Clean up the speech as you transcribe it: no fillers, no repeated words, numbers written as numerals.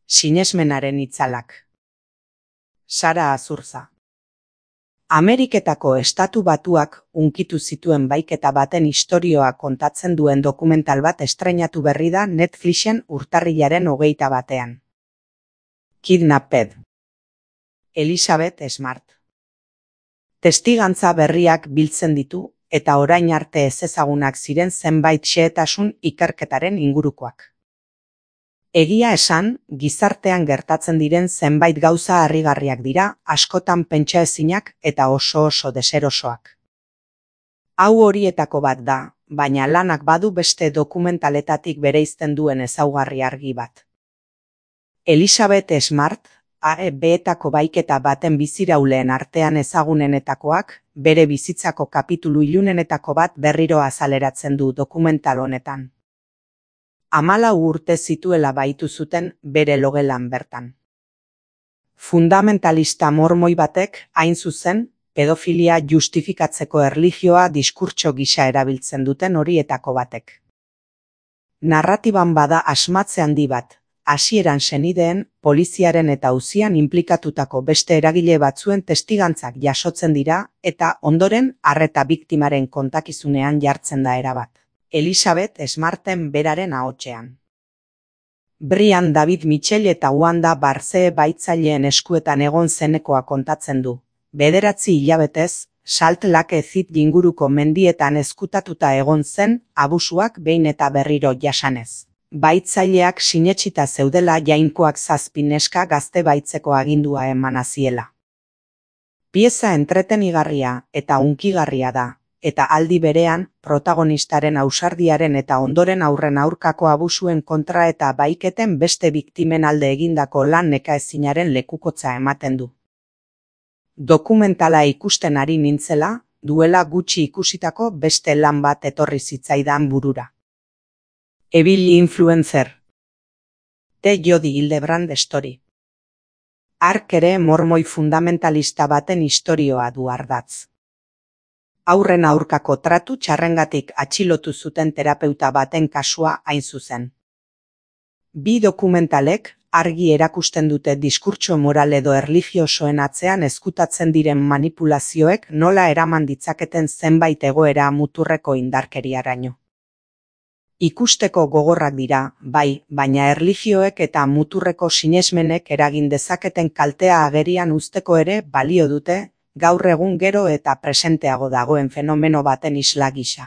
Sinesmenaren itzalak. Sara Azurza. Ameriketako Estatu Batuak hunkitu zituen baiketa baten istorioa kontatzen duen dokumental bat estreinatu berri da Netflixen urtarrilaren 21. Kidnapped. Elizabeth Smart. Testigantza berriak biltzen ditu eta orain arte ezezagunak ziren zenbait xehetasun ikerketaren ingurukoak. Egia esan, gizartean gertatzen diren zenbait gauza harrigarriak dira, askotan pentsaezinak eta oso deserosoak. Hau horietako bat da, baina lanak badu beste dokumentaletatik bereizten duen ezaugarri argi bat. Elizabeth Smart, AEB-etako baiketa baten bizirauleen artean ezagunenetakoak, bere bizitzako kapitulu ilunenetako bat berriro azaleratzen du dokumental honetan. 14 urte zituela baitu zuten bere logelan bertan. Fundamentalista mormoi batek, hain zuzen, pedofilia justifikatzeko erlijioa diskurtso gisa erabiltzen duten horietako batek. Narratiban bada asmatze handi bat, hasieran senideen, poliziaren eta auzian inplikatutako beste eragile batzuen testigantzak jasotzen dira eta ondoren arreta biktimaren kontakizunean jartzen da erabat. Elizabeth Smarten beraren ahotsean. Brian David Mitchell eta Wanda Barcee baitzaileen eskuetan egon zenekoa kontatzen du. 9 hilabetez, Salt Lake City inguruko mendietan ezkutatuta egon zen abusuak behin eta berriro jasanez. Baitzaileak sinetsita zeudela jainkoak 7 neska gazte baitzeko agindua emana ziela. Pieza entretenigarria eta hunkigarria da. Eta aldi berean, protagonistaren ausardiaren eta ondoren aurren aurkako abusuen kontra eta baiketen beste biktimen alde egindako lan nekaezinaren lekukotza ematen du. Dokumentala ikusten ari nintzela, duela gutxi ikusitako beste lan bat etorri zitzaidan burura. Evil Influencer. The Jodi Hildebrandt Story. Hark ere mormoi fundamentalista baten istorioa du ardatz. Aurren aurkako tratu txarrengatik atxilotu zuten terapeuta baten kasua hain zuzen. Bi dokumentalek argi erakusten dute diskurtso moral edo erlijiosoen atzean ezkutatzen diren manipulazioek nola eraman ditzaketen zenbait egoera muturreko indarkeriaraino. Ikusteko gogorrak dira, bai, baina erlijioek eta muturreko sinesmenek eragin dezaketen kaltea agerian uzteko ere balio dute, gaur egun gero eta presenteago dagoen fenomeno baten isla gisa.